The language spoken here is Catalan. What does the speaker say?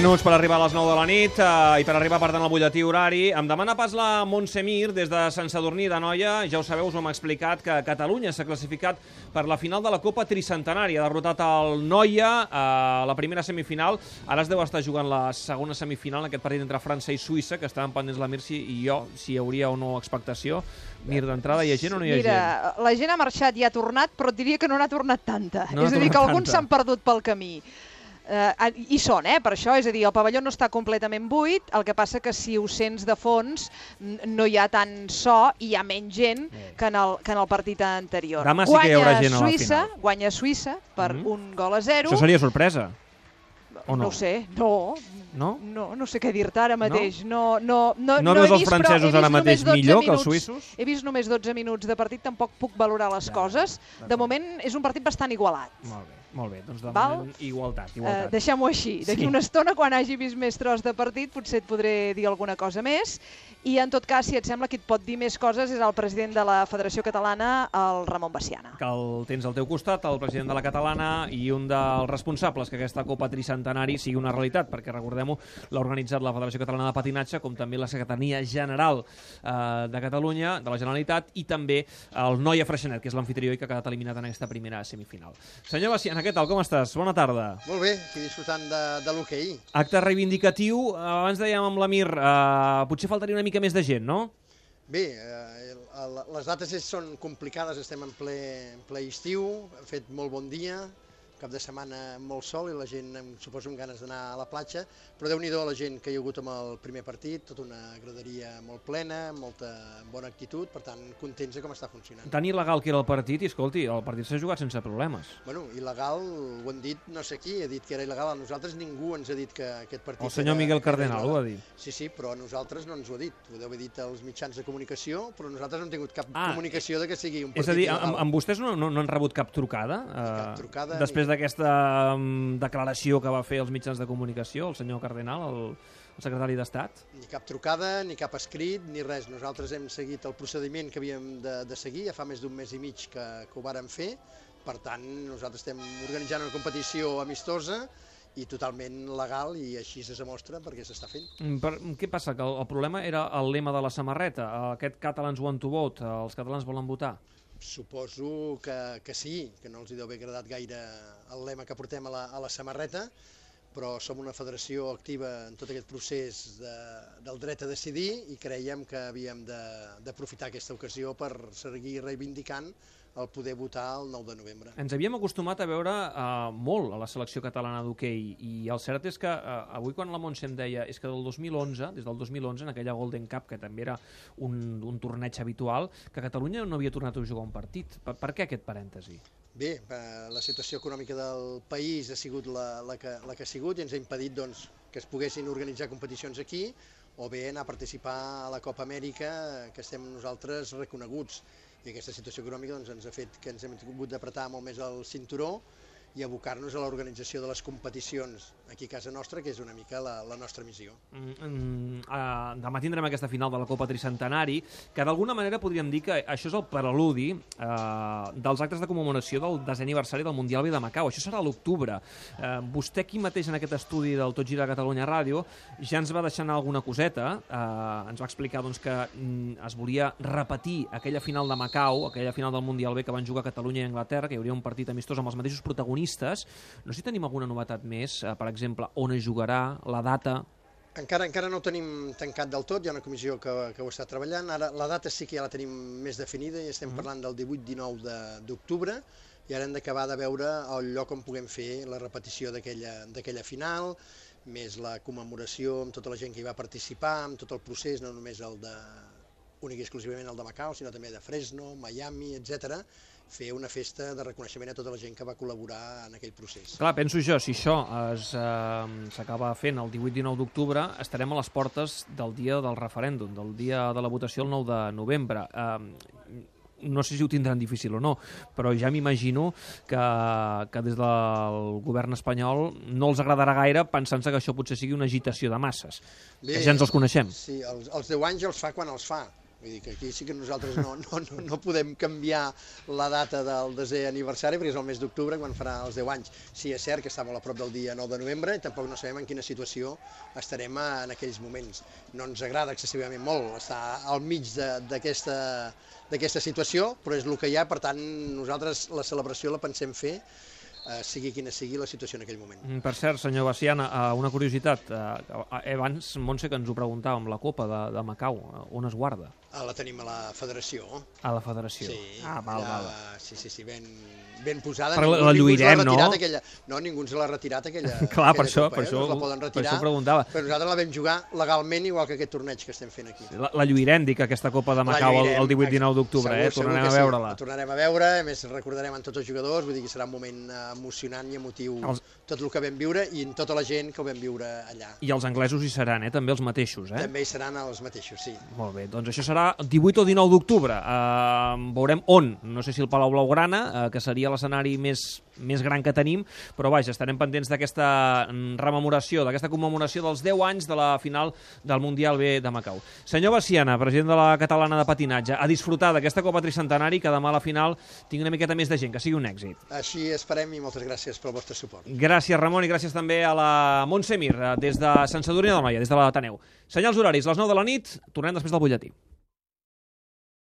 minuts per arribar a les 9 de la nit i per arribar, per tant, al butlletí horari. Em demana pas la Montse Mir, des de Sant Sadurní d'Anoia. Ja ho sabeu, us ho hem explicat, que Catalunya s'ha classificat per la final de la Copa Tricentenari. Ha derrotat el Noia a la primera semifinal. Ara es deu estar jugant la segona semifinal, en aquest partit entre França i Suïssa, que estaven pendents la Mir i jo, si hi hauria o no expectació. Mir, d'entrada, hi ha gent o no hi ha gent? Mira, la gent ha marxat i ha tornat, però et diria que no n'ha tornat tanta. No és a dir, que alguns s'han perdut pel camí. I són, per això, és a dir, el pavelló no està completament buit, el que passa que si ho sents de fons no hi ha tant so i hi ha menys gent que en el partit anterior. Demà sí que hi haurà gent a la final. Guanya Suïssa per 1-0. Això seria sorpresa? O no? No ho sé, no. No? No sé què dir-te ara mateix. No veus els francesos ara mateix millor que els suïssos? He vist només 12 minuts de partit, tampoc puc valorar les coses. De moment és un partit bastant igualat. Molt bé, doncs de moment igualtat. Deixem-ho així. D'aquí una estona, quan hagi vist més tros de partit, potser et podré dir alguna cosa més. I en tot cas, si et sembla que et pot dir més coses, és el president de la Federació Catalana, el Ramon Veciana. Que el tens al teu costat, el president de la Catalana i un dels responsables que aquesta Copa Tricentenari sigui una realitat, perquè recordem-ho, l'ha organitzat la Federació Catalana de Patinatge, com també la Secretaria General de Catalunya, de la Generalitat, i també el Noia Freixenet, que és l'amfitrió i que ha quedat eliminat en aquesta primera semifinal. Senyor Veciana, què tal? Com estàs? Bona tarda. Molt bé, aquí disfrutant de l'hoquei. Acte reivindicatiu. Abans dèiem amb l'Amir, potser faltaria una mica més de gent, no? Bé, les dates són complicades, estem en ple estiu, ha fet molt bon dia, cap de setmana molt sol i la gent, suposo, amb ganes d'anar a la platja, però Déu-n'hi-do la gent que hi ha hagut amb el primer partit, tota una graderia molt plena, molta bona actitud, per tant, contents de com està funcionant. Tan il·legal que era el partit, i escolti, el partit s'ha jugat sense problemes. Bueno, il·legal, ho han dit no sé qui, ha dit que era il·legal, a nosaltres ningú ens ha dit que aquest partit... El senyor Miguel Cardenal ho ha dit. Sí, però a nosaltres no ens ho ha dit, ho deu haver dit als mitjans de comunicació, però nosaltres no hem tingut cap comunicació de que sigui un partit il·legal. És a dir, amb vostès no han rebut cap trucada? Cap trucada. Després d'aquesta declaració que va fer als mitjans de comunicació, el senyor Cardenal, el secretari d'Estat? Ni cap trucada, ni cap escrit, ni res. Nosaltres hem seguit el procediment que havíem de seguir, ja fa més d'un mes i mig que ho vàrem fer. Per tant, nosaltres estem organitzant una competició amistosa i totalment legal, i així es demostra perquè s'està fent. Què passa? Que el problema era el lema de la samarreta, aquest Catalans want to vote, els catalans volen votar? Suposo que sí, que no els deu haver agradat gaire el lema que portem a la samarreta, però som una federació activa en tot aquest procés del dret a decidir i creiem que havíem d'aprofitar aquesta ocasió per seguir reivindicant el poder votar el 9 de novembre. Ens havíem acostumat a veure molt a la selecció catalana d'hoquei, i el cert és que avui, quan la Montse em deia és que des del 2011, en aquella Golden Cup, que també era un torneig habitual, que Catalunya no havia tornat a jugar un partit. Per què aquest parèntesi? Bé, la situació econòmica del país ha sigut la que ha sigut i ens ha impedit que es poguessin organitzar competicions aquí o bé anar a participar a la Copa Amèrica, que estem nosaltres reconeguts. I aquesta situació econòmica ens ha fet que ens hem hagut d'apretar molt més el cinturó i abocar-nos a l'organització de les competicions aquí a casa nostra, que és una mica la nostra missió. Demà tindrem aquesta final de la Copa Tricentenari, que d'alguna manera podríem dir que això és el preludi dels actes de commemoració del 10è aniversari del Mundial B de Macau. Això serà a l'octubre. Vostè aquí mateix en aquest estudi del Tot Gira Catalunya Ràdio ja ens va deixar anar alguna coseta, ens va explicar que es volia repetir aquella final de Macau, aquella final del Mundial B que van jugar Catalunya i Anglaterra, que hi hauria un partit amistós amb els mateixos protagonistes. No sé si tenim alguna novetat més, per exemple, on es jugarà, la data... Encara no ho tenim tancat del tot, hi ha una comissió que ho està treballant. Ara la data sí que ja la tenim més definida i estem parlant del 18-19 d'octubre i ara hem d'acabar de veure el lloc on puguem fer la repetició d'aquella final, més la commemoració amb tota la gent que hi va participar, amb tot el procés, no només únic i exclusivament el de Macau, sinó també de Fresno, Miami, etc. Fer una festa de reconeixement a tota la gent que va col·laborar en aquell procés. Clar, penso jo, si això s'acaba fent el 18-19 d'octubre, estarem a les portes del dia del referèndum, del dia de la votació el 9 de novembre. No sé si ho tindran difícil o no, però ja m'imagino que des del govern espanyol no els agradarà gaire pensant-se que això potser sigui una agitació de masses, que ja ens els coneixem. Sí, els 10 anys els fa quan els fa. Vull dir que aquí sí que nosaltres no podem canviar la data del 10è aniversari, perquè és el mes d'octubre, quan farà els 10 anys. Sí, és cert que està molt a prop del dia 9 de novembre i tampoc no sabem en quina situació estarem en aquells moments. No ens agrada excessivament molt estar al mig d'aquesta situació, però és el que hi ha, per tant, nosaltres la celebració la pensem fer sigui quina sigui la situació en aquell moment. Per cert, senyor Veciana, una curiositat. Abans, Montse, que ens ho preguntàvem, la Copa de Macau, on es guarda? La tenim a la federació. A la federació? Sí. Val. Sí, ben posada. Però la lluirem, no? No, ningú ens l'ha retirat, aquella Clar, per això la poden retirar, preguntava. Però nosaltres la vam jugar legalment, igual que aquest torneig que estem fent aquí. La lluirem, dic, aquesta Copa de Macau el 18-19 d'octubre, tornarem a veure-la. La tornarem a veure, a més recordarem a tots els jugadors, vull dir que serà un moment emocionant i emotiu tot el que vam viure i en tota la gent que ho vam viure allà. I els anglesos hi seran, també els mateixos, També hi seran els mateixos, sí. Molt bé, doncs això serà 18 o 19 d'octubre. Veurem on, no sé si el Palau Blaugrana, que seria l'escenari més gran que tenim, però vaja, estarem pendents d'aquesta rememoració, d'aquesta commemoració dels 10 anys de la final del Mundial B de Macau. Senyor Veciana, president de la Catalana de Patinatge, a disfrutar d'aquesta Copa Tricentenari, que demà a la final tingui una miqueta més de gent, que sigui un èxit. Així esperem i moltes gràcies pel vostre suport. Gràcies, Ramon, i gràcies també a la Montse Mir, des de Sant Sadurní d'Anoia, des de l'Ateneu. Senyals horaris, les 9 de la nit, tornem després del butlletí.